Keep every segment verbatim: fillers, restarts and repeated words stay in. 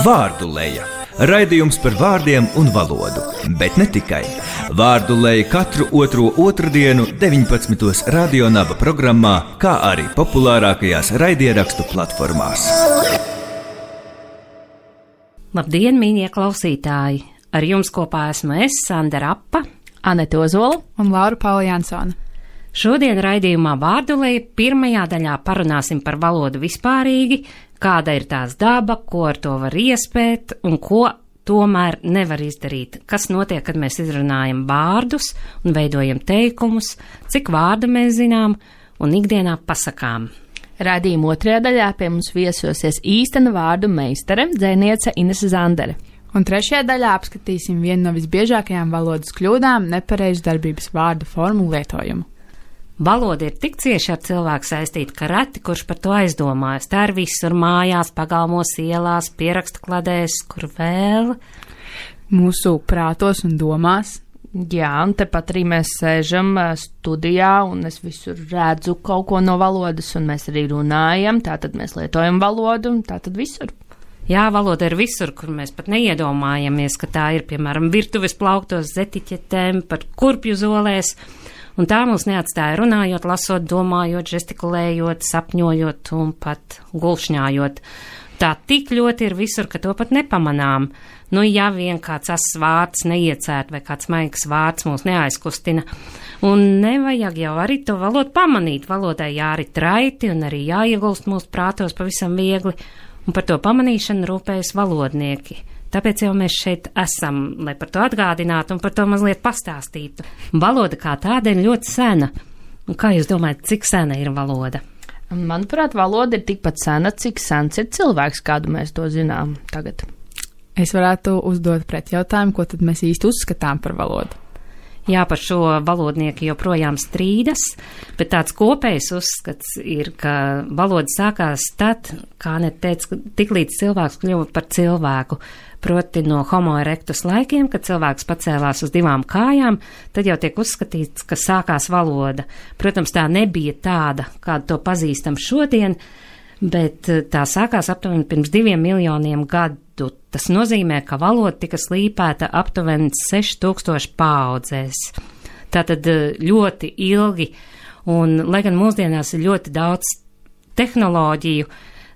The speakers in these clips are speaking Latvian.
Vārduleja. Raidījums par vārdiem un valodu, bet ne tikai. Vārduleja katru otro otrdienu deviņpadsmitos Radio Naba programmā, kā arī populārākajās raidierakstu platformās. Labdien, mīļie klausītāji! Ar jums kopā esmu es, Sandra Rapa, Anete Ozola un Laura Paula Jansone. Šodien raidījumā Vārduleja pirmajā daļā parunāsim par valodu vispārīgi, kāda ir tās daba, ko ar to var iespēt un ko tomēr nevar izdarīt. Kas notiek, kad mēs izrunājam vārdus un veidojam teikumus, cik vārdu mēs zinām un ikdienā pasakām. Raidījuma otrajā daļā pie mums viesosies īstena vārdu meistare, dzejniece Inese Zandere. Un trešajā daļā apskatīsim vienu no visbiežākajām valodas kļūdām - nepareizu darbības vārdu formu lietojumu. Valoda ir tik cieši ar cilvēku saistīta, ka reti kurš par to aizdomājas. Tā ir visur mājās, pagalmos, ielās, pierakstu kladēs, kur vēl. Mūsu prātos un domās. Jā, un tepat arī mēs sēžam studijā, un es visur redzu kaut ko no valodas, un mēs arī runājam, tātad mēs lietojam valodu, un tātad visur. Jā, valoda ir visur, kur mēs pat neiedomājamies, ka tā ir, piemēram, virtuves plauktos, zetiķetēm, pat kurpju zolēs. Un tā mūs neatstāja runājot, lasot, domājot, žestikulējot, sapņojot un pat gulšņājot. Tā tik ļoti ir visur, ka to pat nepamanām. Nu, ja vien kāds asas vārds neiecērt vai kāds maigs vārds mūs neaizkustina. Un nevajag jau arī to valodu pamanīt. Valodai jārit raiti un arī jāiegulst mūsu prātos pavisam viegli. Un par to pamanīšanu rūpējas valodnieki. Tāpēc jau mēs šeit esam, lai par to atgādinātu un par to mazliet pastāstītu. Valoda kā tāda ir ļoti sena. Un kā jūs domājat, cik sena ir valoda? Manuprāt, valoda ir tikpat sena, cik sens ir cilvēks, kādu mēs to zinām tagad. Es varētu uzdot pretjautājumu, ko tad mēs īsti uzskatām par valodu. Jā, par šo valodnieki joprojām strīdas, bet tāds kopējs uzskats ir, ka valoda sākās tad, kā net teica, tik līdz cilvēks kļuva par cilvēku, proti no homo erectus laikiem, kad cilvēks pacēlās uz divām kājām, tad jau tiek uzskatīts, ka sākās valoda. Protams, tā nebija tāda, kādu to pazīstam šodien, bet tā sākās aptuveni pirms diviem miljoniem gadu. Tas nozīmē, ka valoda tika slīpēta aptuveni seši tūkstoši paaudzēs. Tātad ļoti ilgi, un lai gan mūsdienās ir ļoti daudz tehnoloģiju,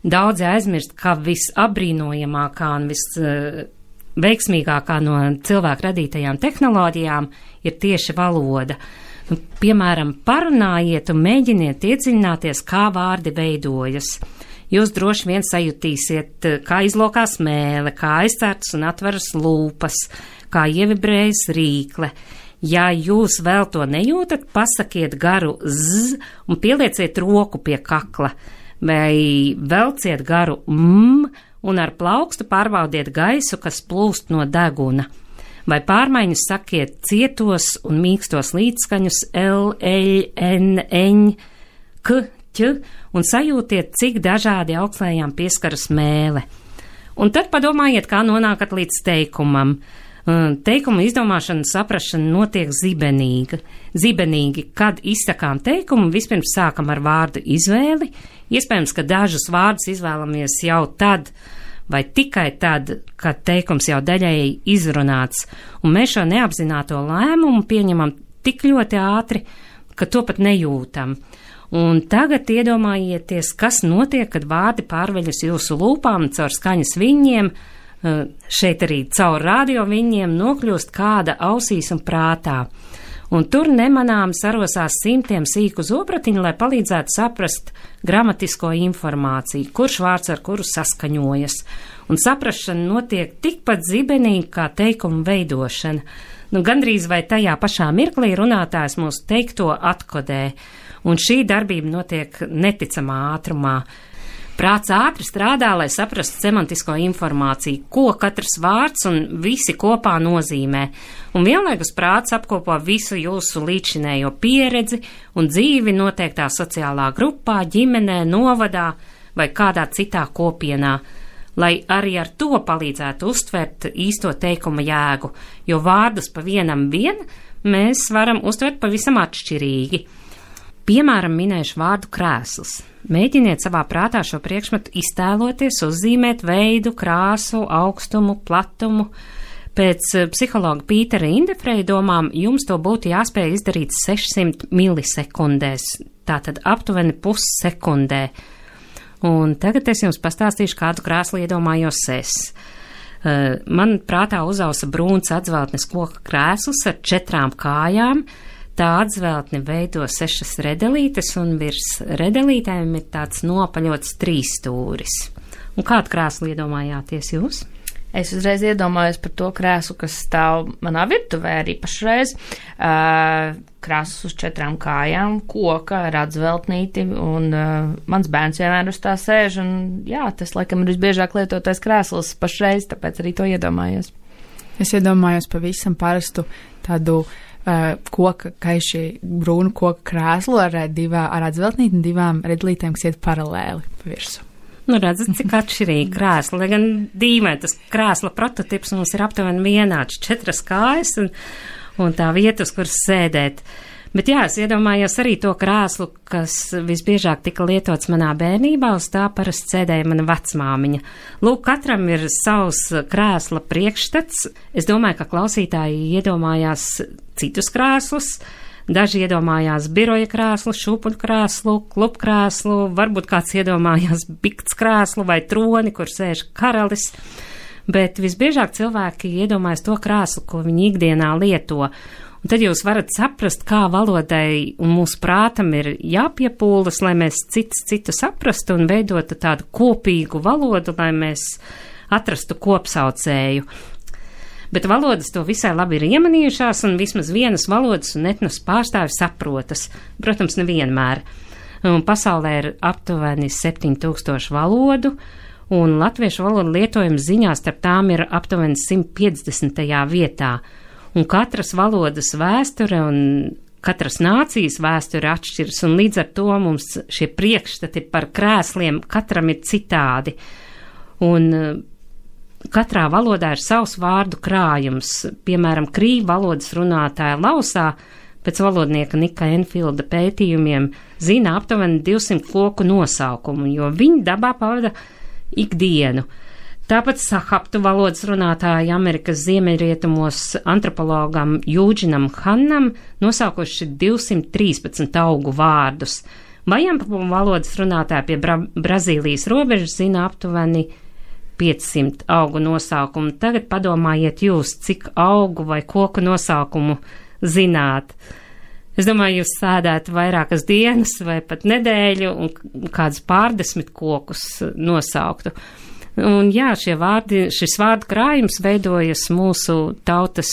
daudzi aizmirst, ka visabrīnojamākā un visveiksmīgākā no cilvēku radītajām tehnoloģijām ir tieši valoda. Piemēram, parunājiet un mēģiniet iedziļināties, kā vārdi veidojas. Jūs droši vien sajutīsiet, kā izlokās mēle, kā aizcērtas un atveras lūpas, kā ievibrējas rīkle. Ja jūs vēl to nejūtat, pasakiet garu z un pielieciet roku pie kakla, vai velciet garu m un ar plaukstu pārbaudiet gaisu, kas plūst no deguna. Vai pārmaiņus sakiet cietos un mīkstos līdzskaņus l, l, n, ņ, k, ķ, un sajūtiet, cik dažādi augslējām pieskaras mēle. Un tad padomājiet, kā nonākat līdz teikumam. Teikuma izdomāšana, saprašana notiek zibenīgi. Zibenīgi, kad izsakām teikumu, vispirms sākam ar vārdu izvēli. Iespējams, ka dažus vārdus izvēlamies jau tad, vai tikai tad, kad teikums jau daļēji izrunāts, un mēs šo neapzināto lēmumu pieņemam tik ļoti ātri, ka to pat nejūtam. Un tagad iedomājieties, kas notiek, kad vārdi pārveļas jūsu lūpām caur skaņas viļņiem, šeit arī caur radio viļņiem nokļūst kāda ausīs un prātā. Un tur nemanām sarosās simtiem sīku zobratiņu, lai palīdzētu saprast gramatisko informāciju, kurš vārds ar kuru saskaņojas. Un saprašana notiek tikpat zibenīgi kā teikuma veidošana. Nu, gandrīz vai tajā pašā mirklī runātājs mūsu teikto atkodē. Un šī darbība notiek neticamā ātrumā. Prāts ātri strādā, lai saprastu semantisko informāciju, ko katrs vārds un visi kopā nozīmē. Un vienlaikus prāts apkopo visu jūsu līdzinējo pieredzi un dzīvi noteiktā sociālā grupā, ģimenē, novadā vai kādā citā kopienā, lai arī ar to palīdzētu uztvert īsto teikuma jēgu, jo vārdus pa vienam vien mēs varam uztvert pavisam atšķirīgi. Piemēram, minējuši vārdu krēsls. Mēģiniet savā prātā šo priekšmetu iztēloties, uzzīmēt veidu, krāsu, augstumu, platumu. Pēc psihologa Pītera Indefreja domām jums to būtu jāspēj izdarīt sešsimt milisekundēs, tātad aptuveni pussekundē. Un tagad es jums pastāstīšu, kādu krēslu iedomājos es. Man prātā uzausa brūns atzveltnes koka krēsls ar četrām kājām. Tā atzveltne veido sešas redelītes, un virs redelītēm ir tāds nopaļots trīsstūris. Un kādu krēslu iedomājāties jūs? Es uzreiz iedomājos par to krēslu, kas stāv manā virtuvē arī pašreiz. Uh, krēsls uz četrām kājām, koka ar atzveltnīti, un uh, mans bērns vienmēr uz tā sēž, un jā, tas laikam ir visbiežāk lietotais krēsls pašreiz, tāpēc arī to iedomājos. Es iedomājos pavisam parastu tādu Uh, koka, kaiši brūnu koka krēslu ar, divā, ar atzveltnīti un divām redlītēm, kas iet paralēli pa virsu. Nu, redzat, cik atšķirīgi krēsla, lai gan dīvaini tas krēsla prototips mums ir aptuveni vienāds, četras kājas un, un tā vieta, uz kuras sēdēt. Bet jā, es iedomājos arī to krēslu, kas visbiežāk tika lietots manā bērnībā, uz tā parasti sēdēja mana vecmāmiņa. Lūk, katram ir savs krēsla priekšstats. Es domāju, ka klausītāji iedomājās citus krēslus. Daži iedomājās biroja krēslu, šūpuļu krēslu, klubkrēslu, varbūt kāds iedomājās bikts krēslu vai troni, kur sēž karalis. Bet visbiežāk cilvēki iedomājas to krēslu, ko viņi ikdienā lieto. Un tad jūs varat saprast, kā valodai un mūsu prātam ir jāpiepūlas, lai mēs cits citu saprastu un veidotu tādu kopīgu valodu, lai mēs atrastu kopsaucēju. Bet valodas to visai labi ir iemanījušās, un vismaz vienas valodas un etnos pārstāvi saprotas. Protams, nevienmēr. Un pasaulē ir aptuveni septiņi tūkstoši valodu, un latviešu valodu lietojums ziņā starp tām ir aptuveni simt piecdesmitajā vietā. Un katras valodas vēsture un katras nācijas vēsture atšķiras, un līdz ar to mums šie priekšstati par krēsliem katram ir citādi. Un katrā valodā ir savs vārdu krājums. Piemēram, krīvu valodas runātāja Lausā pēc valodnieka Nika Enfilda pētījumiem zina aptuveni divsimt koku nosaukumu, jo viņi dabā pavada ikdienu. Tāpat sahaptu valodas runātāji Amerikas ziemeļrietumos antropologam Jūdžinam Hannam nosaukuši divsimt trīspadsmit augu vārdus. Vajampu valodas runātāji pie Bra Brazīlijas robežas zina aptuveni piecsimt augu nosaukumu. Tagad padomājiet jūs, cik augu vai koku nosaukumu zināt. Es domāju, jūs sēdētu vairākas dienas vai pat nedēļu un kādus pārdesmit kokus nosauktu. Un jā, šie vārdi, šis vārdu krājums veidojas mūsu tautas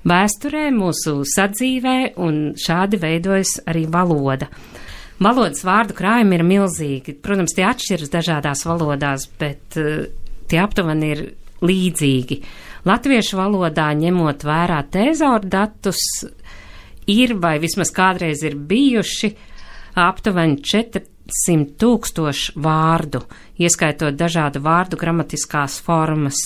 vēsturē, mūsu sadzīvē, un šādi veidojas arī valoda. Valodas vārdu krājumi ir milzīgi. Protams, tie atšķiras dažādās valodās, bet uh, tie aptuveni ir līdzīgi. Latviešu valodā, ņemot vērā tēzauru datus, ir vai vismaz kādreiz ir bijuši aptuveni četri simt tūkstoši vārdu, ieskaitot dažādu vārdu gramatiskās formas.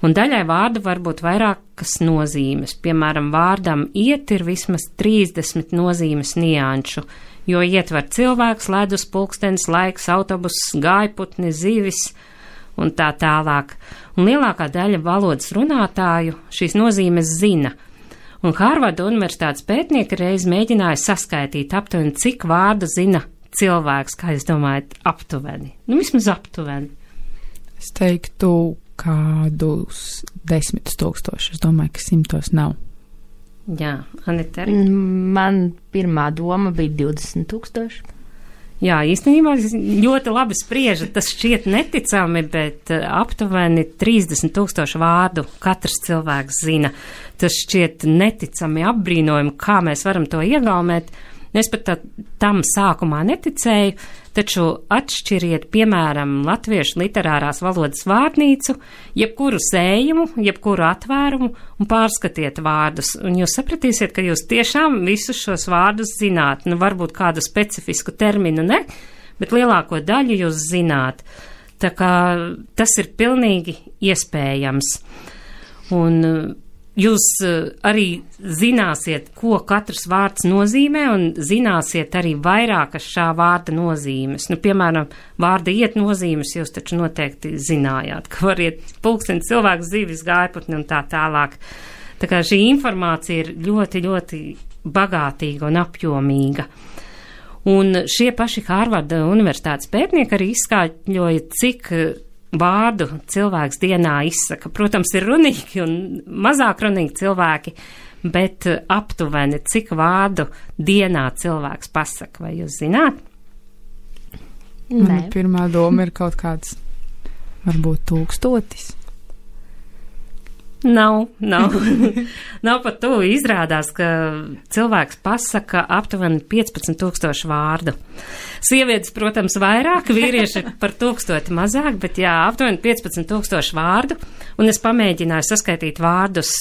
Un daļai vārdu var būt vairākas nozīmes. Piemēram, vārdam iet ir vismaz trīsdesmit nozīmes nianšu, jo ietver cilvēks, ledus, pulkstenis, laiks, autobuss, gājputni, zivis un tā tālāk. Un lielākā daļa valodas runātāju šīs nozīmes zina. Un Hārvarda universitātes pētnieki reiz mēģināja saskaitīt aptuveni, cik vārdu zina cilvēks, kā jūs domājat, aptuveni? Nu, vismaz aptuveni. Es teiktu kādus desmitus tūkstošus. Es domāju, ka simtos nav. Jā, Anita arī. Man pirmā doma bija divdesmit tūkstoši. Jā, īstenībā ļoti labi spriežat, tas šķiet neticami, bet aptuveni trīsdesmit tūkstoši vārdu katrs cilvēks zina. Tas šķiet neticami apbrīnojami, kā mēs varam to iegaumēt. Es pat tā, tam sākumā neticēju, taču atšķiriet, piemēram, latviešu literārās valodas vārnīcu, jebkuru sējumu, jebkuru atvērumu un pārskatiet vārdus. Un jūs sapratīsiet, ka jūs tiešām visus šos vārdus zināt. Nu, varbūt kādu specifisku terminu ne, bet lielāko daļu jūs zināt. Tā kā tas ir pilnīgi iespējams. Un jūs arī zināsiet, ko katrs vārds nozīmē, un zināsiet arī vairākas šā vārda nozīmes. Nu, piemēram, vārda iet nozīmes jūs taču noteikti zinājāt, ka var iet pulksteni cilvēks, zivis, gājputni un tā tālāk. Tā kā šī informācija ir ļoti, ļoti bagātīga un apjomīga. Un šie paši Hārvarda universitātes pētnieki arī izskaidroja, cik vārdu cilvēks dienā izsaka. Protams, ir runīgi un mazāk runīgi cilvēki, bet aptuveni, cik vārdu dienā cilvēks pasaka, vai jūs zināt? Mana pirmā doma ir kaut kāds, varbūt tūkstotis. Nav, nav. Nav pat to izrādās, ka cilvēks pasaka aptuveni piecpadsmit tūkstošu vārdu. Sievietes, protams, vairāk, vīrieši par tūkstoti mazāk, bet jā, aptuveni piecpadsmit tūkstošu vārdu. Un es pamēģināju saskaitīt vārdus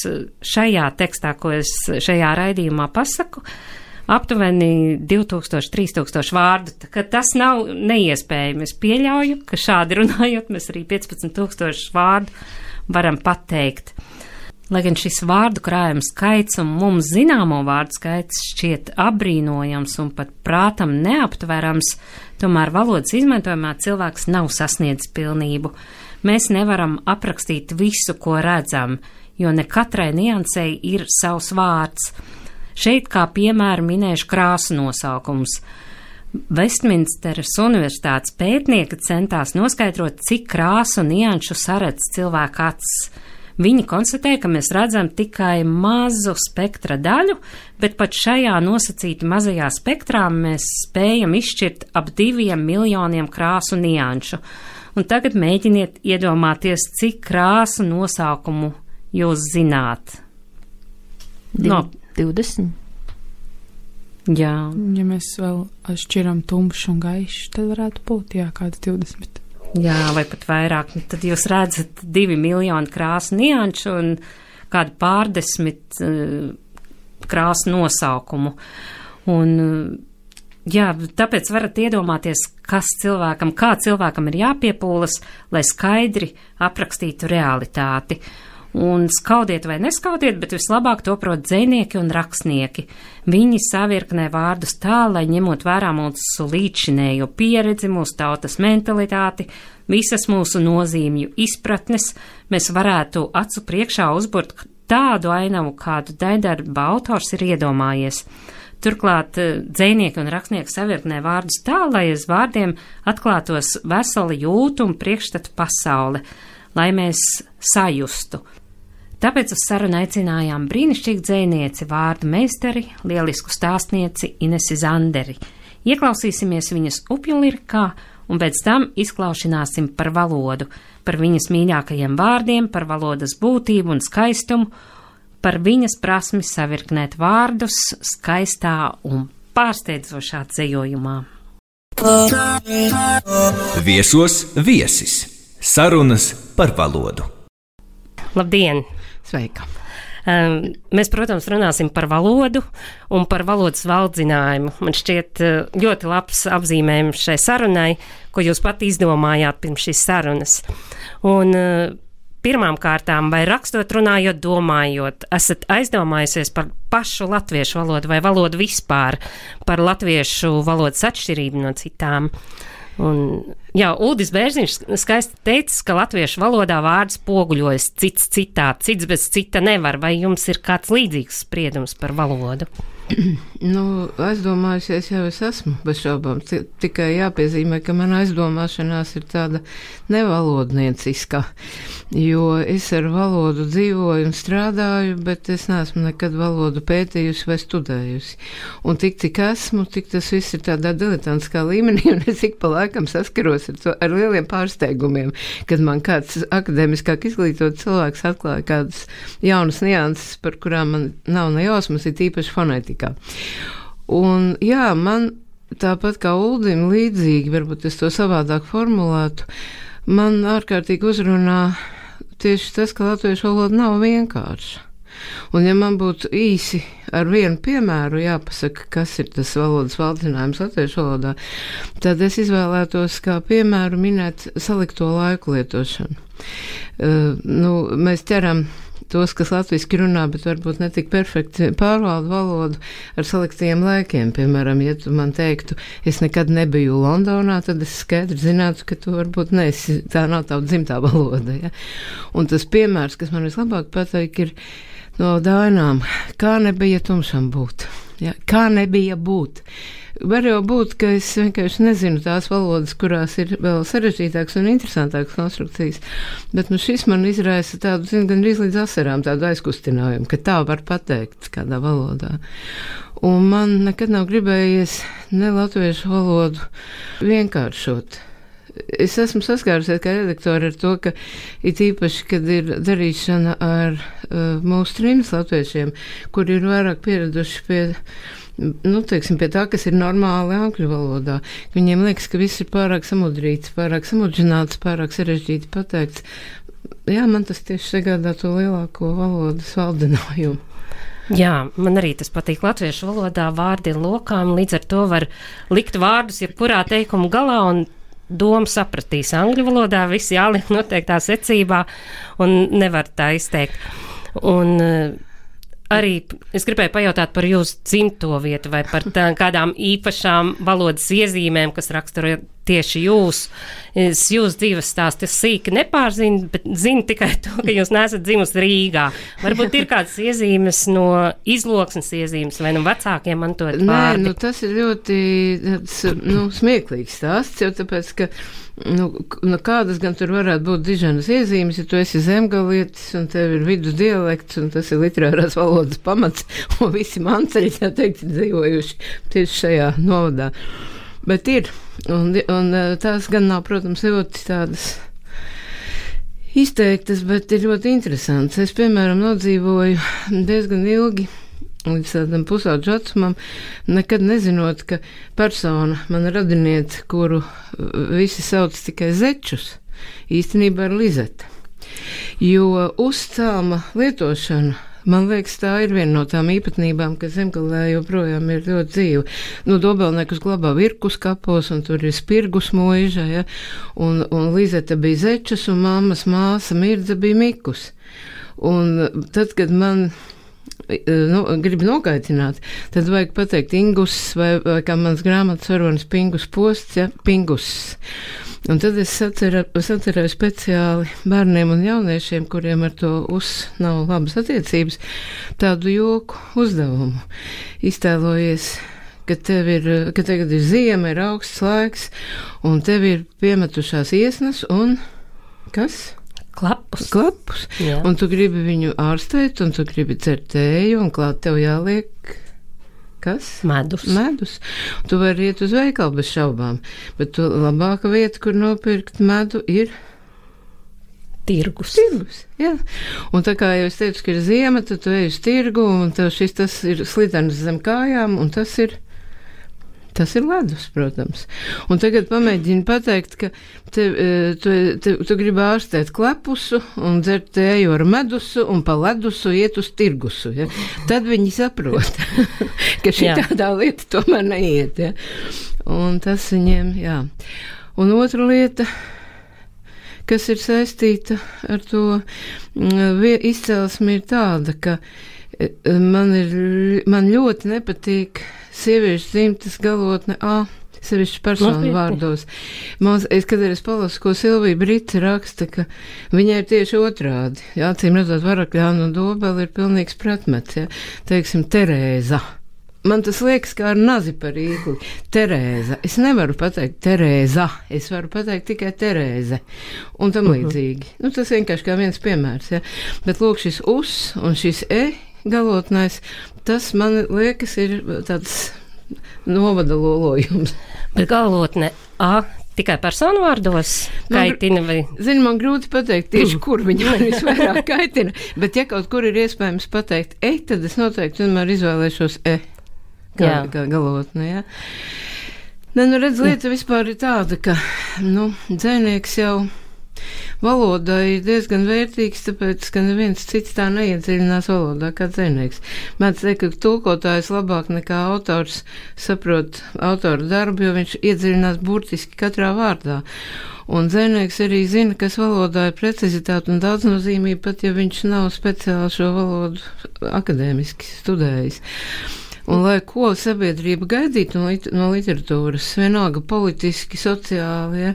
šajā tekstā, ko es šajā raidījumā pasaku. Aptuveni divi tūkstoši, trīs tūkstoši vārdu, ka tas nav neiespējami. Es pieļauju, ka šādi runājot, mēs arī piecpadsmit tūkstoši vārdu varam pateikt. Lai gan šis vārdu krājums skaits un mums zināmo vārdu skaits šķiet apbrīnojams un pat prātam neaptverams, tomēr valodas izmantojumā cilvēks nav sasniedzis pilnību. Mēs nevaram aprakstīt visu, ko redzam, jo ne katrai niansei ir savs vārds. Šeit kā piemēru minēšu krāsu nosaukums. Vestminsteras universitātes pētnieki centās noskaidrot, cik krāsu nianšu saredz cilvēka acis. Viņi konstatēja, ka mēs redzam tikai mazu spektra daļu, bet pat šajā nosacīti mazajā spektrā mēs spējam izšķirt ap diviem miljoniem krāsu nianšu. Un tagad mēģiniet iedomāties, cik krāsu nosaukumu jūs zināt. No divdesmit. Jā. Ja mēs vēl šķiram tumšu un gaišu, tad varētu būt, jā, kāds divdesmit. Jā, vai pat vairāk. Tad jūs redzat divi miljoni krāsu nianšu un kādu pārdesmit uh, krāsu nosaukumu. Un, uh, jā, tāpēc varat iedomāties, kas cilvēkam, kā cilvēkam ir jāpiepūlas, lai skaidri aprakstītu realitāti. Un skaudiet vai neskaudiet, bet vislabāk to prot dzejnieki un rakstnieki. Viņi savirknē vārdus tā, lai ņemot vērā mūsu līdzinējo pieredzi, mūsu tautas mentalitāti, visas mūsu nozīmju izpratnes, mēs varētu acu priekšā uzburt tādu ainavu, kādu daidarba autors ir iedomājies. Turklāt dzejnieki un rakstnieki savirknē vārdus tā, lai aiz vārdiem atklātos veseli jūtu un priekšstatu pasaule, lai mēs sajustu. Tāpēc uz sarunu aicinājām brīnišķīgu dzejnieci, vārdu meistari, lielisku stāstnieci Inesi Zanderi. Ieklausīsimies viņas upju lirikā un pēc tam izklaušināsim par valodu, par viņas mīļākajiem vārdiem, par valodas būtību un skaistumu, par viņas prasmi savirknēt vārdus skaistā un pārsteidzošā dzejojumā. Viesos viesis. Sarunas par valodu. Labdien! Sveika! Um, mēs, protams, runāsim par valodu un par valodas valdzinājumu. Man šķiet ļoti labs apzīmējums šai sarunai, ko jūs pat izdomājāt pirms šīs sarunas. Un uh, pirmām kārtām, vai rakstot, runājot, domājot, esat aizdomājusies par pašu latviešu valodu vai valodu vispār, par latviešu valodas atšķirību no citām? Un, jā, Uldis Bērziņš skaisti teicis, ka latviešu valodā vārds poguļojas cits citā, cits bez cita nevar. Vai jums ir kāds līdzīgs spriedums par valodu? Nu, aizdomājusies jau es esmu, bez šaubām. T- tikai jāpiezīmē, ka mana aizdomāšanās ir tāda nevalodnieciska, jo es ar valodu dzīvoju un strādāju, bet es neesmu nekad valodu pētījusi vai studējusi. Un tik, cik esmu, tik tas viss ir tādā diletantiskā līmenī, un es ik pa laikam saskaros ar, to, ar lieliem pārsteigumiem, kad man kāds akadēmiskāk izglītot cilvēks atklāja kādas jaunas nianses, par kurām man nav ne jausmas, ir tīpaši fonētika. Un jā, man tāpat kā Uldim līdzīgi, varbūt es to savādāk formulētu, man ārkārtīgi uzrunā tieši tas, ka latviešu valoda nav vienkārša. Un ja man būtu īsi ar vienu piemēru jāpasaka, kas ir tas valodas valdzinājums latviešu valodā, tad es izvēlētos kā piemēru minēt salikto laiku lietošanu. Uh, nu, mēs ķeram tos, kas latviski runā, bet varbūt netik perfekti pārvalda valodu ar selektīviem laikiem. Piemēram, ja tu man teiktu, es nekad nebiju Londonā, tad es skaidri zinātu, ka tu varbūt neesi, tā nav tava dzimtā valoda. Ja? Un tas piemērs, kas man vislabāk patīk, ir no Dainām, kā nebija tumšam būt. Ja? Kā nebija būt. Var jau būt, ka es vienkārši nezinu tās valodas, kurās ir vēl sarežģītākas un interesantākas konstrukcijas, bet nu šis man izraisa tādu, zinu, gan arī līdz asarām tādu aizkustinājumu, ka tā var pateikt kādā valodā. Un man nekad nav gribējies ne latviešu valodu vienkāršot. Es esmu saskārusies kā redaktori ar to, ka it īpaši, kad ir darīšana ar uh, mūsu trījus latviešiem, kuri ir vairāk pieraduši pie nu, teiksim, pie tā, kas ir normāli angļu valodā. Viņiem liekas, ka viss ir pārāk samudrīts, pārāk samudžināts, pārāk sarežģīti pateikts. Jā, man tas tieši sagādā to lielāko valodas valdinājumu. Jā, man arī tas patīk latviešu valodā, vārdi ir lokām, līdz ar to var likt vārdus jebkurā teikuma galā un domu sapratīs. Angļu valodā viss jāliek noteiktā secībā un nevar tā izteikt. Un arī es gribēju pajautāt par jūsu dzimto vietu vai par tā, kādām īpašām valodas iezīmēm, kas raksturo tieši jūs. Es jūs dzīves stāstu sīki nepārzinu, bet zinu tikai to, ka jūs neesat dzimusi Rīgā. Varbūt ir kādas iezīmes no izloksnes iezīmes vai no vecākiem mantot vārdi? Nē, nu tas ir ļoti tāds, nu, smieklīgs stāsts, jo tāpēc, ka Nu, nu, kādas gan tur varētu būt diženas iezīmes, ja tu esi zemgalietis un tev ir vidus dialekts un tas ir literārās valodas pamats un visi manceļi, tā teikt, dzīvojuši tieši šajā novadā. Bet ir, un, un tās gan nav, protams, ļoti tādas izteiktas, bet ir ļoti interesants. Es, piemēram, nodzīvoju diezgan ilgi līdz tādam pusauģu vecumam, nekad nezinot, ka persona, mana radiniete, kuru visi sauc tikai Zečus, īstenībā ir Lizeta. Jo uzcēlma lietošana, man liekas, tā ir viena no tām īpatnībām, kas Zemgalē joprojām ir ļoti dzīva. Nu, Dobelniekus glabā Virkus kapos, un tur ir Spirgus mūža, ja? un, un Lizeta bija Zečus, un mammas māsa Mirdza bija Mikus. Un tad, kad man nu, gribi nokaitināt, tad vajag pateikt Ingus vai, vai kā mans grāmatas varonis Pingus posts, ja, Pingus. Un tad es saceru, sacerēju speciāli bērniem un jauniešiem, kuriem ar to uz nav labas attiecības, tādu joku uzdevumu. Iztēlojies, ka tev ir, ka tagad ir ziema, ir augsts laiks, un tev ir piemetušās iesnas un kas? Klapus. Klapus. Jā. Un tu gribi viņu ārstēt, un tu gribi dzert tēju, un klāt tev jāliek kas? Medus. Medus. Tu vari iet uz veikalu bez šaubām, bet tu labāka vieta, kur nopirkt medu, ir tirgus. Tirgus, jā. Un tā kā jau es teicu, ka ir ziema, tad tu ej uz tirgu, un tev šis tas ir slidens zem kājām, un tas ir Tas ir ledus, protams. Un tagad pamēģini pateikt, ka te, tu, te, tu gribi ārstēt klepusu un dzert tēju ar medusu un pa ledusu iet uz tirgusu. Ja? Tad viņi saprot, ka šī tādā lieta tomēr neiet. Ja? Un tas viņiem, jā. Un otra lieta, kas ir saistīta ar to izcelsmi, ir tāda, ka man, ir, man ļoti nepatīk sieviešu dzimtas galotne A, sevišķi personu vārdos. Mans, es, kad es palasu, ko Silvija Brita raksta, ka viņai ir tieši otrādi. Jā, acīm redzot, Varakļāna un Dobela ir pilnīgs pretmets. Ja? Teiksim, Terēza. Man tas liekas kā ar nazi par īkli. Terēza. Es nevaru pateikt Terēza. Es varu pateikt tikai Terēze. Un tam līdzīgi. Nu, tas vienkārši kā viens piemērs. Ja? Bet lūk, šis us un šis e galotnais, tas man liekas ir tāds novada lolojums. Bet galotne A tikai personu vārdos kaitina vai? Zini, man grūti pateikt tieši, kur viņa man visvairāk kaitina, bet ja kaut kur ir iespējams pateikt e, tad es noteikti vienmēr izvēlēšos e, kā, kā galotne, jā. Ne, nu redz, lieta vispār ir tāda, ka, nu, dzēnieks jau valodai ir diezgan vērtīgs, tāpēc, ka neviens cits tā neiedziļinās valodā kā dzejnieks. Mēdz teikt, ka tulkotājs labāk nekā autors saprot autora darbu, jo viņš iedziļinās burtiski katrā vārdā. Un dzejnieks arī zina, kas valodā ir precizitāte un daudznozīmība, pat ja viņš nav speciāli šo valodu akadēmiski studējis. Un lai ko sabiedrība gaidītu no, lit no literatūras, vienalga politiski, sociāli, ja,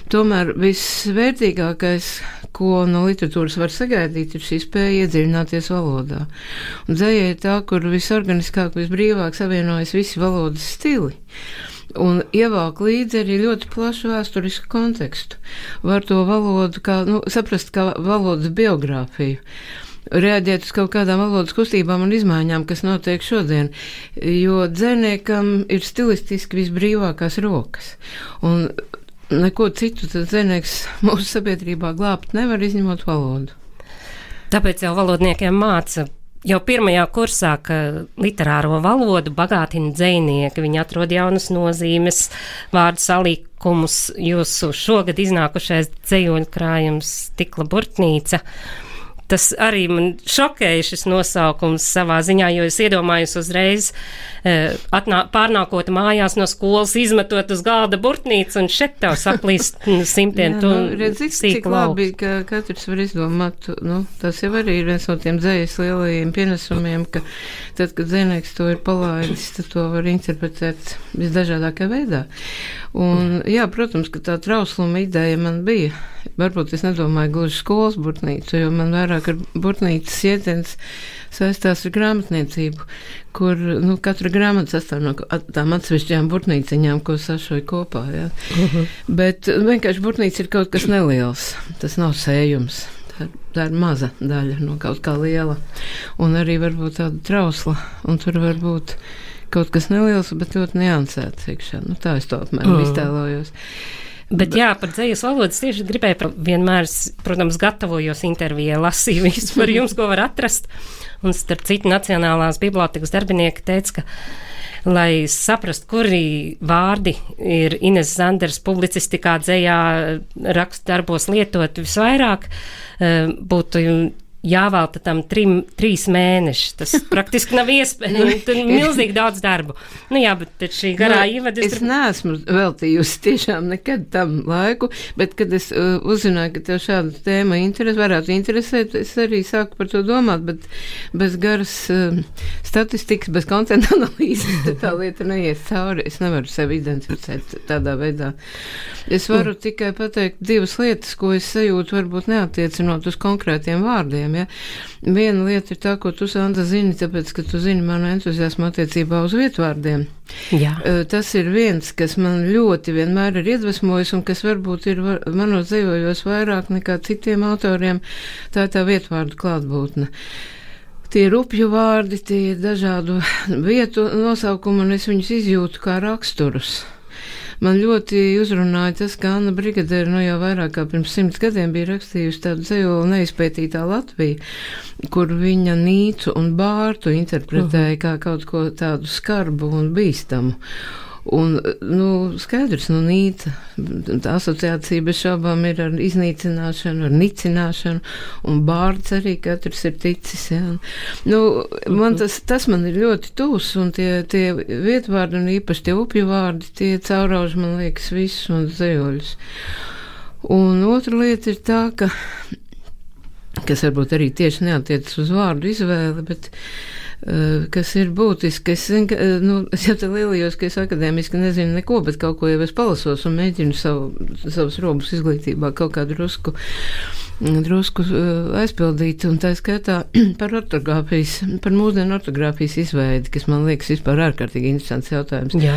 tomēr visvērtīgākais, ko no literatūras var sagaidīt, ir šī spēja iedziļināties valodā. Un dzeja ir tā, kur visorganiskāk, visbrīvāk savienojas visi valodas stili. Un ievāk līdzi arī ļoti plašu vēsturisku kontekstu. Var to valodu kā, nu, saprast kā valodas biogrāfiju. Reaģēt uz kaut kādām valodas kustībām un izmaiņām, kas notiek šodien, jo dzejniekam ir stilistiski visbrīvākās rokas. Un neko citu tad dzejnieks mūsu sabiedrībā glābt nevar, izņemot valodu. Tāpēc jau valodniekiem māca jau pirmajā kursā, ka literāro valodu bagātina dzejnieki, viņi atrod jaunas nozīmes, vārdu salīkumus. Jūsu šogad iznākušais dzejoļu krājums Stikla burtnīca. Tas arī man šokēja šis nosaukums savā ziņā, jo es iedomājos uzreiz atnā, pārnākot mājās no skolas, izmetot uz galda burtnīcu un šeit tev saplīst simtiem tu nu, redzi, cik labi, ka katrs var izdomāt, nu, tas jau arī ir viens no tiem dzejas lielajiem pienesumiem, ka tad, kad dzejnieks to ir palaidis, tad to var interpretēt visdažādākā veidā. Un, jā, protams, ka tā trausluma ideja man bija. Varbūt es nedomāju gluži skolas burtnīcu, jo man vairāk ar burtnīcas ietens saistās ar grāmatniecību, kur, nu, katra grāmata sastāv no tām atsevišķajām burtnīciņām, ko sašoju kopā, jā. Uh-huh. Bet vienkārši burtnīca ir kaut kas neliels, tas nav sējums. Tā, tā ir maza daļa no kaut kā liela. Un arī varbūt tāda trausla, un tur var būt kaut kas neliels, bet ļoti niansēts iekšā. Nu, tā es to apmēram mm. iztēlojos. Bet jā, par dzejas valodas tieši gribēju vienmēr, protams, gatavojos intervijai, lasīju visu par jums, ko var atrast. Un starp citu Nacionālās bibliotekas darbinieki teica, ka, lai saprast, kuri vārdi ir Ines Zanders publicistikā, dzejā, rakstu darbos lietot visvairāk, būtu jāvēlta tam trim, trīs mēneši. Tas praktiski nav iespējams. Tur ir milzīgi daudz darbu. Nu jā, bet pēc šī garā no, ievada... Es tur... neesmu veltījusi tiešām nekad tam laiku, bet kad es uh, uzzināju, ka tev šāda tēma interes, varētu interesēt, es arī sāku par to domāt, bet bez garas uh, statistikas, bez kontenta analīzes, tā lieta neies cauri. Es nevaru sevi identificēt tādā veidā. Es varu mm. tikai pateikt divas lietas, ko es sajūtu, varbūt neatiecinot uz konkrētiem vārdiem. Ja? Viena lieta ir tā, ko tu, Sandra, zini, tāpēc, ka tu zini manu entuziasmu attiecībā uz vietvārdiem. Jā. Tas ir viens, kas man ļoti vienmēr ir iedvesmojis un kas varbūt ir var, manos dzejojos vairāk nekā citiem autoriem, tā ir tā vietvārdu klātbūtne. Tie ir upju vārdi, tie ir dažādu vietu nosaukumi, un es viņus izjūtu kā raksturus. Man ļoti uzrunāja tas, ka Anna Brigadere nu jau vairāk kā pirms simts gadiem bija rakstījusi tādu dzejoli Neizpētītā Latvija, kur viņa Nīcu un Bārtu interpretēja uh-huh. kā kaut ko tādu skarbu un bīstamu. Un, nu, skaidrs, nu, Nīca, tā asociācija bez šaubām ir ar iznīcināšanu, ar nicināšanu, un Bārds arī katrs ir ticis, jā. Nu, man tas, tas man ir ļoti tūs, un tie, tie vietvārdi, un īpaši tie upju vārdi, tie caurauž, man liekas, visus un zejoļus. Un otra lieta ir tā, ka, kas varbūt arī tieši neatiecas uz vārdu izvēli, bet kas ir būtiski. Es, zinu, ka, nu, es jau te lielījos, ka es akadēmiski nezinu neko, bet kaut ko jau es palasos un mēģinu savu, savus robus izglītībā kaut kā drusku, drusku aizpildīt, un tā skaitā par ortogrāfijas, par mūsdienu ortogrāfijas izveidi, kas man liekas vispār ārkārtīgi interesants jautājums. Jā.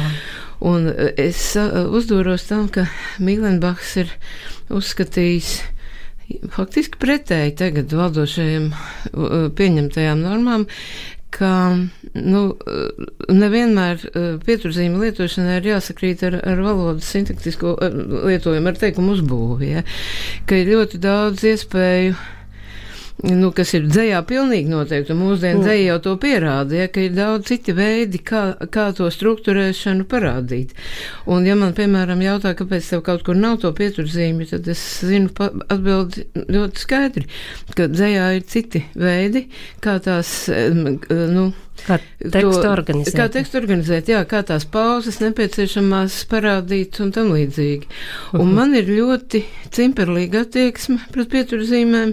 Un es uzdūros tam, ka Mīlenbachs ir uzskatījis faktiski pretēji tagad valdošajiem pieņemtajām normām, ka nu, nevienmēr pieturzīme lietošanai ir jāsakrīt ar, ar valodas sintaktisko lietojumu, ar teikumu uzbūvi, ja? Ka ir ļoti daudz iespēju nu, kas ir dzējā pilnīgi noteikti, un mūsdienu dzēja jau to pierāda, ja, ka ir daudz citi veidi, kā, kā to strukturēšanu parādīt. Un ja man, piemēram, jautā, kāpēc tev kaut kur nav to pieturzīmi, tad es zinu atbildi ļoti skaidri, ka dzējā ir citi veidi, kā tās, nu, Kā tekstu organizēt. Kā tekstu organizēt, jā, kā tās pauzes nepieciešamās parādīt un tam līdzīgi. Un uh-huh. man ir ļoti cimperlīga attieksme pret pieturzīmēm.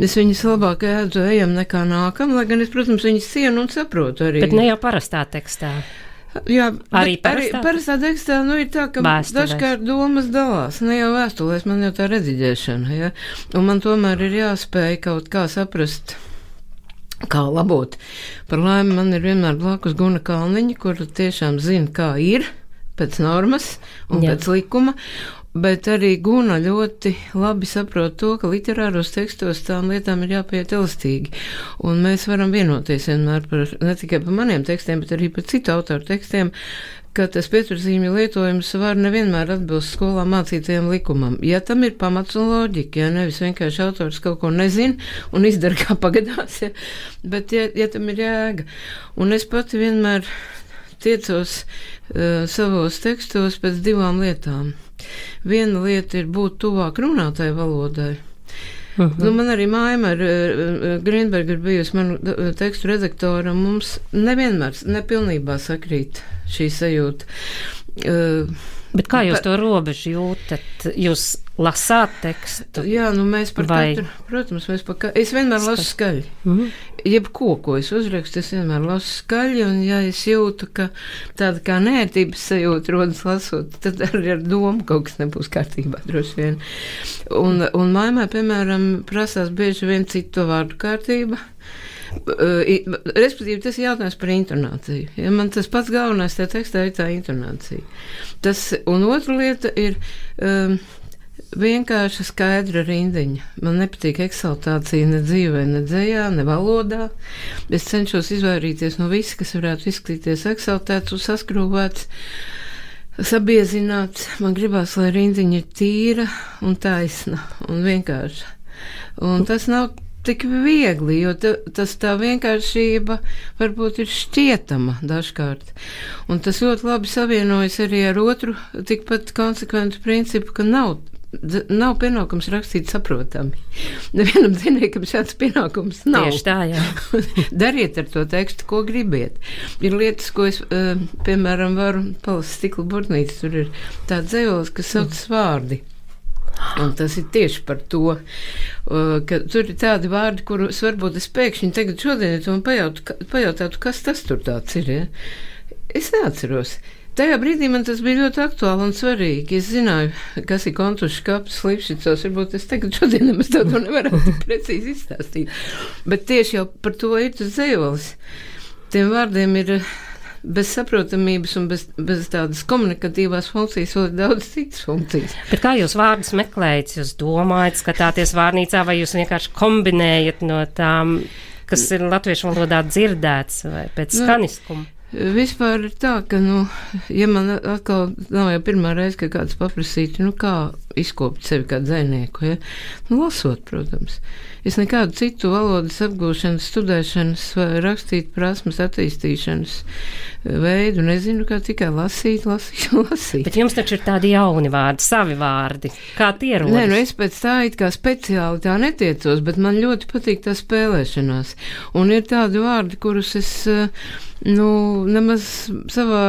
Es viņas labāk ēdu ejam nekā nākam, lai gan es, protams, viņas cienu un saprotu arī. Bet ne jau parastā tekstā. Jā, arī parastā, arī parastā tekstā, nu, ir tā, ka vēstulēs. Dažkārt domas dalās, ne jau vēstulēs, man jau tā rediģēšana, ja, un man tomēr ir jāspēj kaut kā saprast, kā labot. Par laimi man ir vienmēr blakus Guna Kalniņa, kur tiešām zina, kā ir pēc normas un Jā. Pēc likuma, bet arī Guna ļoti labi saprot to, ka literāros tekstos tām lietām ir jāpiet elastīgi. Un mēs varam vienoties vienmēr par, ne tikai par maniem tekstiem, bet arī par citu autoru tekstiem, ka tas pieturzīmju lietojums var nevienmēr atbilst skolā mācītajam likumam. Ja tam ir pamats un loģika, ja nevis vienkārši autors kaut ko nezina un izdara kā pagadās, ja, bet ja, ja tam ir jēga. Un es pati vienmēr tiecos uh, savos tekstos pēc divām lietām. Viena lieta ir būt tuvāk runātāju valodai. Uh-huh. Nu, man arī Maima ar uh, Grīnberga ir bijusi manu uh, tekstu redaktora, un mums nevienmēr, nepilnībā sakrīt šī sajūta. Uh, Bet kā jūs pa, to robežu jūtat? Jūs lasāt tekstu? Jā, nu mēs par vai... katru, protams, mēs par katru, es vienmēr lasu skaļi. Mm-hmm. Jebko, ko es uzrakstu, es vienmēr lasu skaļi, un ja es jūtu, ka tāda kā nērtības sajūta rodas lasot, tad arī ar domu kaut kas nebūs kārtībā, droši vien. Un, un Maimai, piemēram, prasās bieži vien citu vārdu kārtība. Uh, respektīvi, tas ir jautājums par intonāciju. Ja man tas pats galvenais tajā tekstā ir tā intonācija. Tas, un otra lieta ir um, vienkārši skaidra rindiņa. Man nepatīk eksaltācija ne dzīvē, ne dzējā, ne valodā. Es cenšos izvairīties no viss, kas varētu izskatīties eksaltēts un saskrūvēts, sabiezināts. Man gribās, lai rindiņa ir tīra un taisna un vienkārša. Un tas nav tik viegli, jo ta, tas tā vienkāršība varbūt ir šķietama dažkārt. Un tas ļoti labi savienojas arī ar otru tikpat konsekventu principu, ka nav, nav pienākums rakstīt saprotami. Nevienam dzinējam šāds pienākums nav. Tieši tā, jā. Dariet ar to tekstu, ko gribiet. Ir lietas, ko es, piemēram, varu palasīt stikla burtnīca, tur ir tāds dzējolis, kas saucas vārdi. Un tas ir tieši par to, ka tur ir tādi vārdi, kurus varbūt es pēkšņi tagad šodien to pajautu, pajautātu, kas tas tur tāds ir. Ja? Es neatceros. Tajā brīdī man tas bija ļoti aktuāli un svarīgi. Es zināju, kas ir kontušs kaps, Lipšicos, varbūt es tagad šodien nemaz to nevaru precīzi izstāstīt. Bet tieši jau par to ir tas dzējolis. Tiem vārdiem ir bez saprotamības un bez, bez tādas komunikatīvās funkcijas vēl ir daudz citas funkcijas. Bet kā jūs vārdus meklējat? Jūs domājat, skatāties vārnīcā, vai jūs vienkārši kombinējat no tām, kas ir latviešu valodā dzirdēts, vai pēc skaniskuma? Vispār ir tā, ka, nu, ja man atkal nav jau pirmā reize, ka kāds paprasītu, nu, kā izkopt sevi kā dzejnieku, ja? Nu, lasot, protams. Es nekādu citu valodas apgūšanas, studēšanas vai rakstīt prasmes attīstīšanas veidu nezinu, kā tikai lasīt, lasīt, lasīt. Bet jums taču ir tādi jauni vārdi, savi vārdi. Kā tie rodas? Nē, nu es pēc tā it kā speciāli tā netiecos, bet man ļoti patīk tā spēlēšanās. Un ir tādi vārdi, kurus es, nu, nemaz savā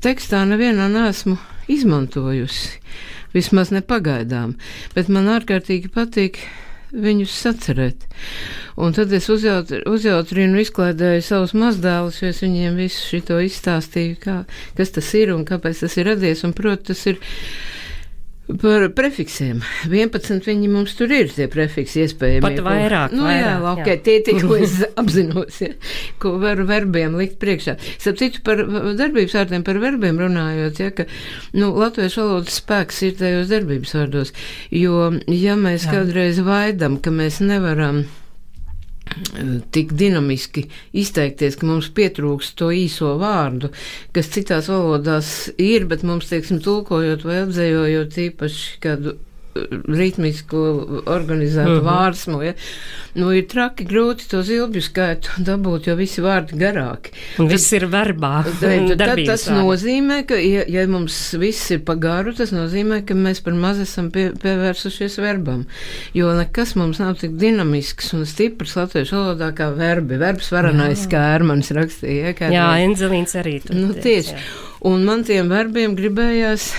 tekstā nevienā neesmu izmantojusi. Vismaz nepagaidām. Bet man ārkārtīgi patīk viņus sacerēt. Un tad es uzjautru, uzjautrinu, izklaidēju savus mazdēlus, jo es viņiem visu šito izstāstīju, kā, kas tas ir un kāpēc tas ir radies. Un, proti, tas ir par prefiksiem. vienpadsmit viņi mums tur ir, tie prefiksi iespējami. Pat vairāk, nu, vairāk. Jā, ok, tie tie, ko es apzinos, ja, ko varu verbiem likt priekšā. Starp citu, par darbības vārdiem, par verbiem runājot, ja, ka, nu, latviešu valodas spēks ir tajos darbības vārdos, jo, ja mēs jā. Kādreiz vaidam, ka mēs nevaram tik dinamiski izteikties, ka mums pietrūks to īso vārdu, kas citās valodās ir, bet mums, teiksim, tulkojot vai apdzējojot īpaši kādu ritmisku organizētu mm-hmm. vārsmu, ja. Nu, ir traki grūti to zilbju skaitu dabūt, jo visi vārdi garāki. Un viss ir verbā. Tad, tad tas vārdi. Nozīmē, ka, ja, ja mums viss ir pa garu, tas nozīmē, ka mēs par maz esam pie, pievērsušies verbam. Jo nekas mums nav tik dinamisks un stiprs latviešu valodā kā verbi. Verbs varanais, kā Ērmanis rakstīja. Ja, jā, Enzelīns arī tur. Nu, tieši. Jā. Un man tiem verbiem gribējās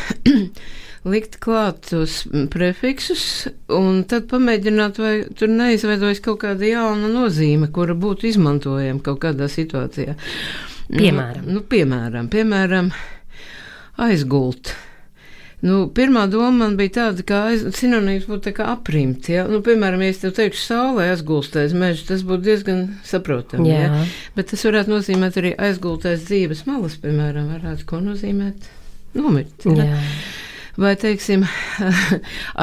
likt klāt tos prefiksus un tad pamēģināt, vai tur neizveidojas kaut kāda jauna nozīme, kura būtu izmantojama kaut kādā situācijā. Piemēram? Nu, nu piemēram, piemēram, aizgult. Nu, pirmā doma man bija tāda, ka aiz, sinonīms būtu tā kā aprimt, ja? Nu, piemēram, ja es tev teikšu saulē aizgulstais mežs, tas būtu diezgan saprotami, ja? Bet tas varētu nozīmēt arī aizgultais dzīves malas, piemēram, varētu ko nozīmēt nomirt, ja? Jā. Vai, teiksim,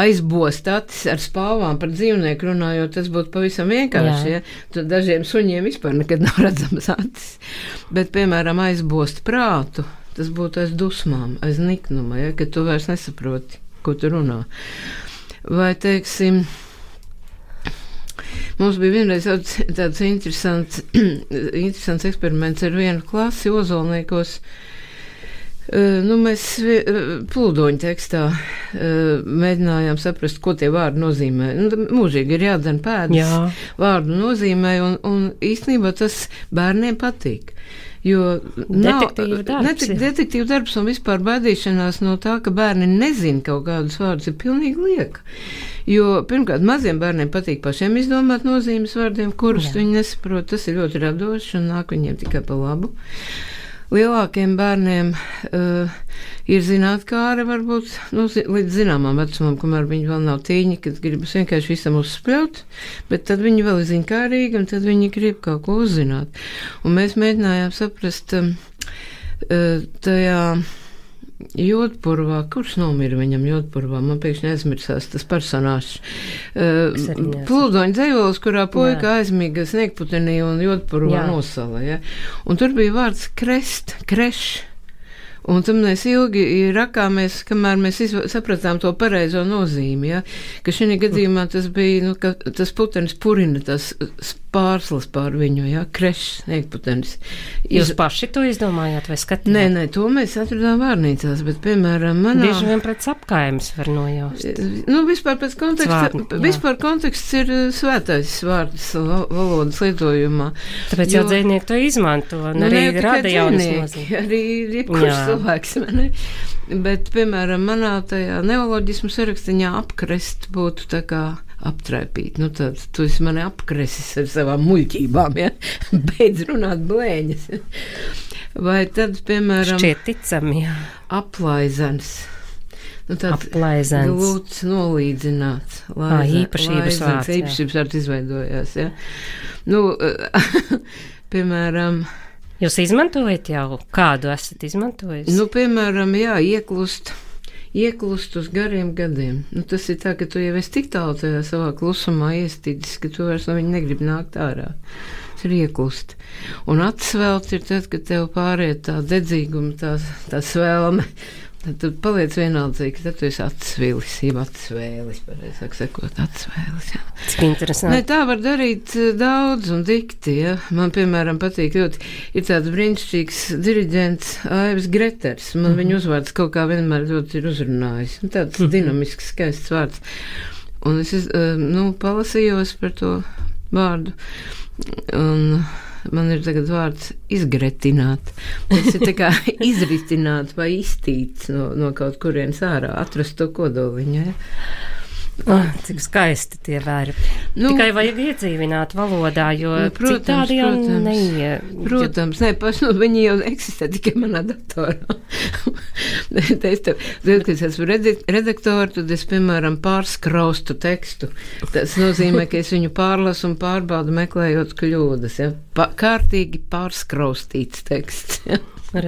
aizbost acis ar spāvām par dzīvnieku runājot, tas būtu pavisam vienkārši, ja? Tad dažiem suņiem vispār nekad nav redzamas acis. Bet, piemēram, aizbost prātu, tas būtu aiz dusmām, aiz niknuma, ja? Kad tu vairs nesaproti, ko tu runā. Vai, teiksim, mums bija vienreiz tāds, tāds interesants, interesants eksperiments ar vienu klasi Ozolniekos. Uh, nu, mēs plūdoņu tekstā uh, mēģinājām saprast, ko tie vārdi nozīmē. Nu, mūžīgi ir jādzen pēdas Jā. Vārdu nozīmē, un, un īstenībā tas bērniem patīk. Jo detektīva darbs, netik, detektīva darbs un vispār baidīšanās no tā, ka bērni nezin kaut kādus vārdus, ir pilnīgi lieka. Jo, pirmkārt, maziem bērniem patīk pašiem izdomāt nozīmes vārdiem, kurus Jā. Viņi nesaprot. Tas ir ļoti radoši un nāk viņiem tikai pa labu. Lielākiem bērniem uh, ir zinātkāre varbūt nu, līdz zināmām vecumam, kamēr viņi vēl nav tīņi, kad gribas vienkārši visam uzspļaut, bet tad viņi vēl ir ziņkārīgi un tad viņi grib kaut ko uzzināt. Un mēs mēģinājām saprast um, uh, tajā Jodpurvā, kurš nomira viņam Jodpurvā, man pēkšņi aizmirsās tas personāžs. Uh, Plūdoņa dzejols, kurā puika Jā. Aizmiga Sniegputenī un Jodpurvā nosala. Ja? Un tur bija vārds krest, kreš. Un tam mēs ilgi rakāmies, kamēr mēs izv- sapratām to pareizo nozīmi, ja? Ka šī gadījumā tas bija, nu, ka tas putenis purina tas pārslas pār viņu, ja? Krešs, sniegputenis. Iz... Jūs paši to izdomājāt vai skatījāt? Nē, nē, to mēs atradām vārnīcās, bet, piemēram, manā... Bieži vien pret apkaimes var nojaust. Nu, vispār pēc konteksta, Svārni, vispār konteksts ir svētais vārds valodas lietojumā. Tāpēc jo... jau dzejnieki to izmanto, un nu, arī ne, rada jaunas nozīmes. Arī jebkurš cilvēks, ne? Bet, piemēram, manā tajā neoloģismu sarakstiņā apkrest būtu tā kā aptraipīt. Nu, tad tu esi mani apkresis ar savām muļķībām, ja? Beidz runāt blēņas. Vai tad, piemēram... Šķiet ticami, jā. Aplaizens. Nu, Aplaizens. Glūts nolīdzināts. Laiza, Ā, īpašības vārds. Īpašības vārds izveidojās, ja? Nu, piemēram... Jūs izmantojat jau? Kādu esat izmantojis? Nu, piemēram, jā, ieklust. Ieklust uz gariem gadiem. Nu, tas ir tā, ka tu jau esi tik tālu tajā savā klusumā iestīdis, ka tu vairs no viņa negribi nākt ārā. Tas ir ieklust. Un atsvelt ir tad, kad tev pāriet tā dedzīguma, tā, tā svēlme. Tad tu paliec vienaldzīgi, tad tu esi atsvilis, jeb atsvēlis, pareizāk sakot, atsvēlis. Jā. Cik interesanti. Ne, tā var darīt daudz un dikti, ja. Man, piemēram, patīk ļoti, ir tāds brīnišķīgs diriģents Aivis Greters. Man mm-hmm. viņa uzvārds kaut kā vienmēr ļoti ir uzrunājis. Tāds mm-hmm. dinamisks, skaists vārds. Un es, nu, palasījos par to vārdu. Un... Man ir tagad vārds izgretināt. Tas ir tā kā izritināt vai iztīts no, no kaut kurienes ārā, atrast to kodoliņu. Ja? Oh, cik skaisti tie vērbi. Nu, tikai vajag iedzīvināt valodā, jo nu, protams, citādi jau protams, neie... Protams, ne, paši, nu, viņi jau eksistē tikai manā datorā. es tev, tad, kad es esmu redaktori, tad es, piemēram, pārskraustu tekstu. Tas nozīmē, ka es viņu pārlasu un pārbaudu meklējot kļūdas. Ja? Pa, kārtīgi pārskraustīts teksts. Ja?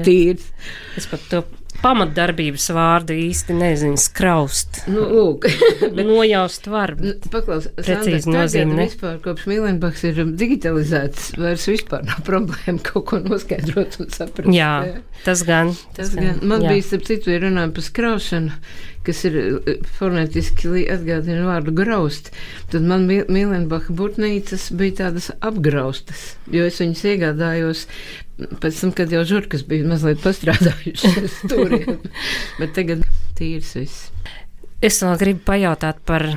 Tīrs. Es pat to pamatdarbības vārdu īsti nezinu, skraust. Nu, lūk. Bet nojaust var. Paklaus, precīzi Sandra, nozīme, ne? vispār kopš Mīlenbachs ir digitalizēts, vairs vispār nav problēma kaut ko noskaidrot un saprast. Jā, tas gan. Tas gan. Man jā. bija, starp citu, ja runājam par skraušanu, kas ir fonētiski atgādina vārdu graust, tad man Mīlenbacha burtnīcas bija tādas apgraustas, jo es viņas iegādājos pēc tam, kad jau žurkas bija mazliet pastrādājušas turiem, bet tagad tīrs viss. Es vēl gribu pajautāt par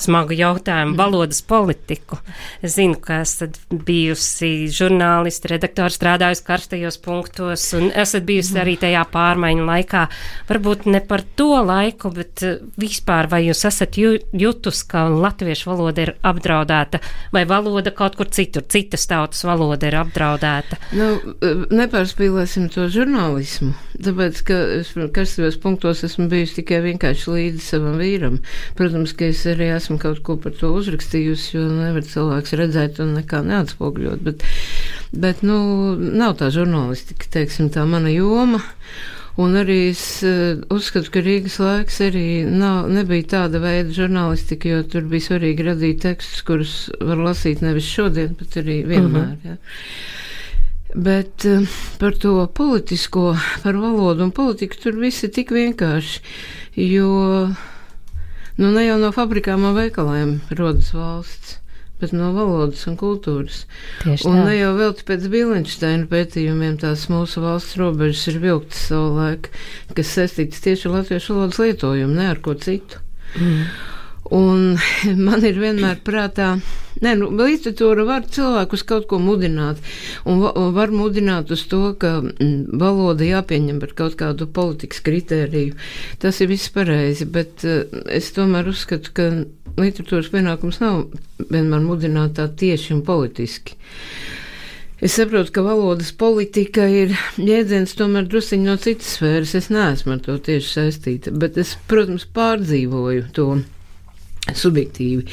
smagu jautājumu, valodas politiku. Es zinu, ka esat bijusi žurnālisti, redaktori, strādājusi karstajos punktos un esat bijusi arī tajā pārmaiņu laikā. Varbūt ne par to laiku, bet vispār vai jūs esat jutus, ka latviešu valoda ir apdraudēta vai valoda kaut kur citur, citas tautas valoda ir apdraudēta? Nu, nepārspīlēsim to žurnālismu, tāpēc, ka es karstajos punktos esmu bijusi tikai vienkārši līdzi savam vīram. Protams, ka es arī esmu kaut ko par to uzrakstījusi, jo nevar cilvēks redzēt un nekā neatspogļot, bet, bet, nu, nav tā žurnālistika, teiksim, tā mana joma, un arī es uh, uzskatu, ka Rīgas laiks arī nav, nebija tāda veida žurnālistika, jo tur bija svarīgi radīt tekstus, kurus var lasīt nevis šodien, bet arī vienmēr, jā. Bet uh, par to politisko, par valodu un politiku tur viss ir tik vienkārši, jo nu, ne jau no fabrikām un veikaliem rodas valsts, bet no valodas un kultūras. Tieši un tā. ne jau vēl pēc Bilenšteina pētījumiem tās mūsu valsts robežas ir vilktas savu laiku, kas saistītas tieši ar latviešu valodas lietojumu, ne ar ko citu. Mm. Un man ir vienmēr prātā, ne, nu, literatūra var cilvēku uz kaut ko mudināt, un, va, un var mudināt uz to, ka mm, valoda jāpieņem par kaut kādu politikas kritēriju. Tas ir viss pareizi, bet uh, es tomēr uzskatu, ka literatūras pienākums nav vienmēr mudināt tā tieši un politiski. Es saprotu, ka valodas politika ir jēdziens tomēr drusciņi no citas sfēras, es neesmu ar to tieši saistīta, bet es, protams, pārdzīvoju to subjektīvi.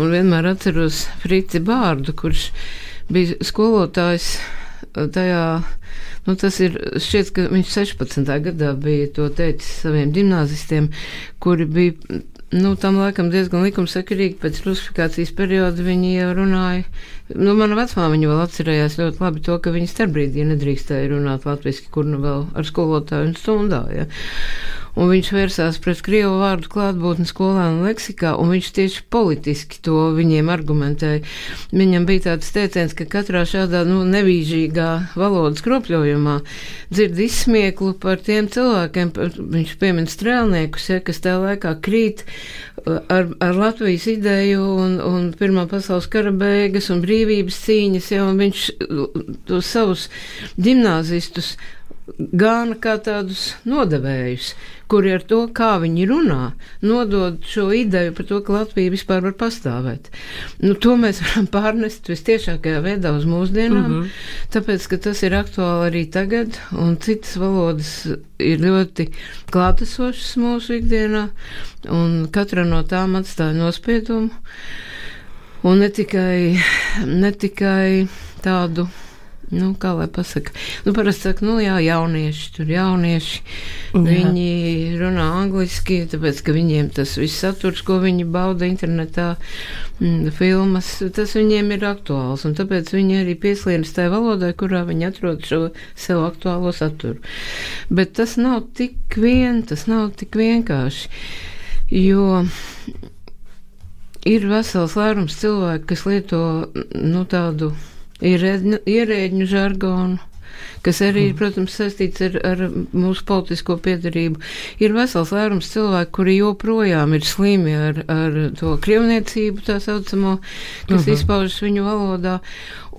Un vienmēr atceros Frici Bārdu, kurš bija skolotājs tajā, nu tas ir, šķiet, ka viņš sešpadsmitā gadā bija to teicis saviem ģimnāzistiem, kuri bija, nu tam laikam diezgan likumsakarīgi pēc rusifikācijas perioda viņi jau runāja. Nu, mana vecmāmiņa vēl atcerējās ļoti labi to, ka viņi starpbrīdī nedrīkstēja runāt latviski, kur nu vēl ar skolotāju un stundā, ja. Un viņš vērsās pret krievu vārdu klātbūtni skolā un leksikā, un viņš tieši politiski to viņiem argumentēja. Viņam bija tāds teiciens, ka katrā šādā, nu, nevīžīgā valodas kropļojumā dzird izsmieklu par tiem cilvēkiem, par, viņš piemin strēlniekus, ja, kas tajā laikā krīt ar, ar Latvijas ideju un, un Pirmā pasaules kara beigas un brīvības cīņas, ja, un viņš tos savus ģimnāzistus gāna kā tādus nodevējus, kuri ar to, kā viņi runā, nodod šo ideju par to, ka Latvija vispār var pastāvēt. Nu, to mēs varam pārnest vistiešākajā veidā uz mūsdienām, mm -hmm. tāpēc, ka tas ir aktuāli arī tagad, un citas valodas ir ļoti klātesošas mūsu ikdienā, un katra no tām atstāja nospiedumu, un ne tikai, ne tikai tādu, nu, kā lai pasaka, nu, parasti saka, nu, jā, jaunieši, tur jaunieši, jā. Viņi runā angliski, tāpēc, ka viņiem tas viss saturs, ko viņi bauda internetā, m, filmas, tas viņiem ir aktuāls, un tāpēc viņi arī pieslienas tai valodai, kurā viņi atrod šo sev aktuālo saturu. Bet tas nav tik vien, tas nav tik vienkārši, jo ir vesels lērums cilvēku, kas lieto, nu, tādu ierēģņu, ierēģņu žargonu, kas arī, mm. protams, saistīts ar, ar mūsu politisko piedarību. Ir vesels lērums cilvēku, kuri joprojām ir slimi ar, ar to krievniecību, tā saucamo, kas mm-hmm. izpaužas viņu valodā.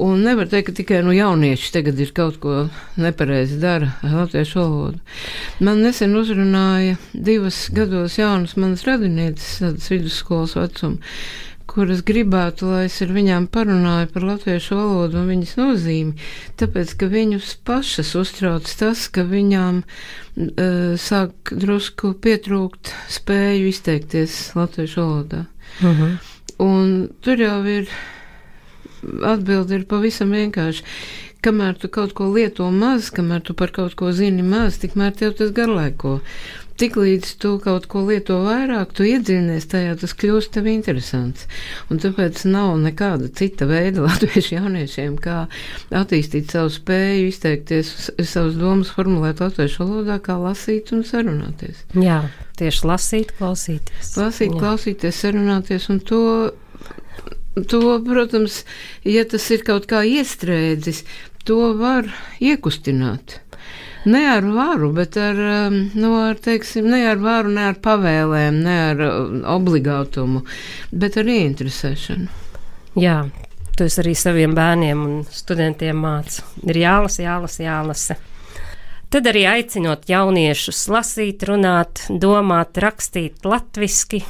Un nevar teikt, ka tikai nu, jaunieši tagad ir kaut ko nepareizi dara ar latviešu valodu. Man nesen uzrunāja divas gados jaunas manas radinieces, tādas vidusskolas vecuma, kuras gribētu, lai es ar viņām parunāju par latviešu valodu un viņas nozīmi, tāpēc, ka viņus pašas uztrauc tas, ka viņām uh, sāk drusku pietrūkt spēju izteikties latviešu valodā. Uh-huh. Un tur jau ir, atbildi ir pavisam vienkārši, kamēr tu kaut ko lieto maz, kamēr tu par kaut ko zini maz, tikmēr tev tas garlaiko. Tiklīdz tu kaut ko lieto vairāk, tu iedziļinies tajā, tas kļūst tev interesants. Un tāpēc nav nekāda cita veida latviešu jauniešiem, kā attīstīt savu spēju, izteikties, savas domas formulēt latviešu valodā, kā lasīt un sarunāties. Jā, tieši lasīt, klausīties. Lasīt, Jā. klausīties, sarunāties, un to, to, protams, ja tas ir kaut kā iestrēdzis, to var iekustināt. Ne ar varu, bet ar, nu, ar, teiksim, ne ar varu, ne ar pavēlēm, ne ar obligātumu, bet ar ieinteresēšanu. Jā, tu esi arī saviem bērniem un studentiem māca. Ir jālasa, jālasa, jālasa. Tad arī aicinot jauniešus lasīt, runāt, domāt, rakstīt latviski.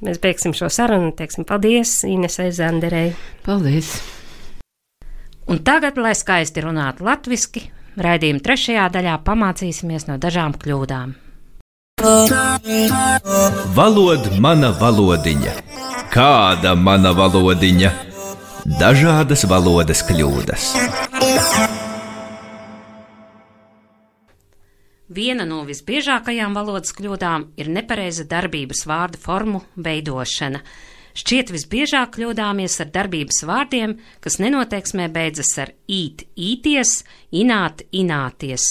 Mēs beigsim šo sarunu, teiksim paldies Inesei Zanderei. Paldies! Un tagad, lai skaisti runātu latviski, raidījuma trešajā daļā pamācīsimies no dažām kļūdām. Valod mana valodiņa. Kāda mana valodiņa? Dažādas valodas kļūdas. Viena no visbiežākajām valodas kļūdām ir nepareiza darbības vārdu formu veidošana. Šķiet visbiežāk kļūdāmies ar darbības vārdiem, kas nenoteiksmē beidzas ar īt, īties, ināt, ināties.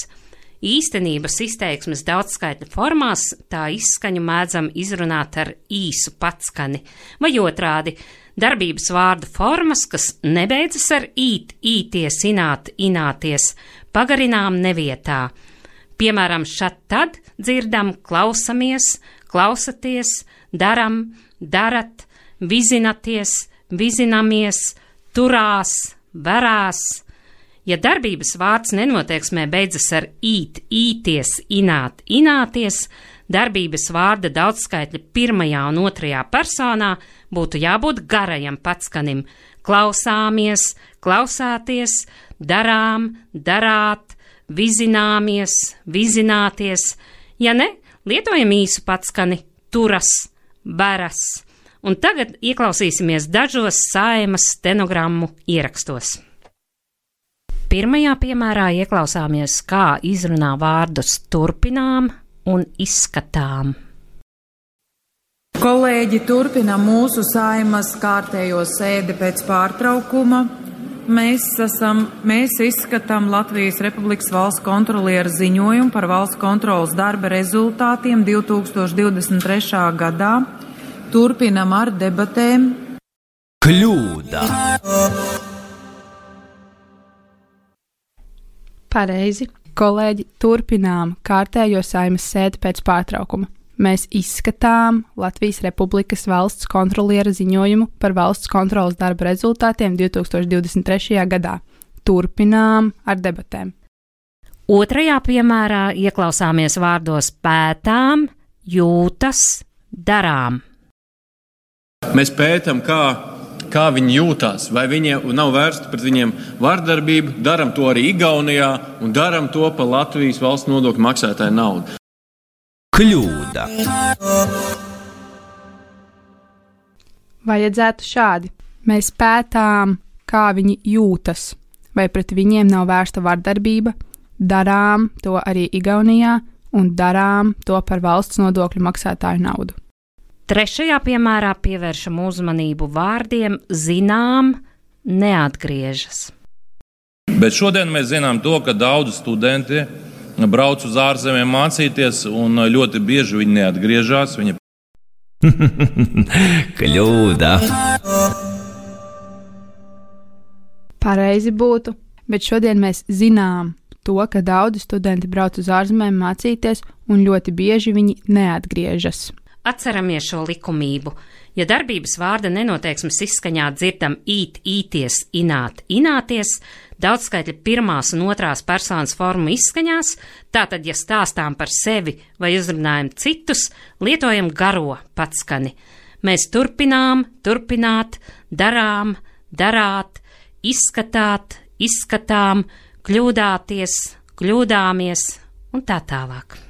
Īstenības izteiksmes daudzskaitļu formās tā izskaņu mēdzam izrunāt ar īsu patskani, vai otrādi darbības vārdu formas, kas nebeidzas ar īt, īties, ināt, ināties, pagarinām nevietā. Piemēram, šat tad dzirdam klausamies, klausaties, daram, darat, vizinaties, vizinamies, turās, varās. Ja darbības vārds nenoteiksmē beidzas ar īt, īties, ināt, ināties, darbības vārda daudzskaitļa pirmajā un otrajā personā būtu jābūt garajam patskanim. Klausāmies, klausāties, darām, darāt, vizināmies, vizināties. Ja ne, lietojam īsu patskani, turas, varas. Un tagad ieklausīsimies dažos Saeimas stenogrammu ierakstos. Pirmajā piemērā ieklausāmies, kā izrunā vārdus turpinām un izskatām. Kolēģi turpina mūsu Saeimas kārtējo sēdi pēc pārtraukuma. Mēs, esam, mēs izskatām Latvijas Republikas valsts kontroliera ziņojumu par valsts kontrolas darba rezultātiem divi tūkstoši divdesmit trešā gadā. Turpinam ar debatēm. Kļūda. Pareizi. Kolēģi, turpinām kārtējo Saeimas sēdi pēc pārtraukuma. Mēs izskatām Latvijas Republikas valsts kontroliera ziņojumu par valsts kontrolas darba rezultātiem divi tūkstoši divdesmit trešajā gadā. Turpinām ar debatēm. Otrajā piemērā ieklausāmies vārdos pētām, jūtas, darām. Mēs pētām, kā, kā viņi jūtās, vai viņiem nav vērsta pret viņiem vardarbību, daram to arī Igaunijā un daram to par Latvijas valsts nodokļu maksātāju naudu. Kļūda. Vajadzētu šādi. Mēs pētām, kā viņi jūtas, vai pret viņiem nav vērsta vardarbība, darām to arī Igaunijā un darām to par valsts nodokļu maksātāju naudu. Trešajā piemērā pievēršam uzmanību vārdiem zinām, neatgriežas. Bet šodien mēs zinām to, ka daudzi studenti brauc uz ārzemēm mācīties, un ļoti bieži viņi neatgriežas. Viņi... Kļūda. Pareizi būtu, bet šodien mēs zinām to, ka daudzi studenti brauc uz ārzemēm mācīties, un ļoti bieži viņi neatgriežas. Atceramies šo likumību. Ja darbības vārda nenoteiksmes izskaņā dzirdam īt, īties, ināt, ināties, daudzskaitļa pirmās un otrās personas formu izskaņās, tātad, ja stāstām par sevi vai uzrunājam citus, lietojam garo patskani. Mēs turpinām, turpināt, darām, darāt, izskatāt, izskatām, kļūdāties, kļūdāmies un tā tālāk.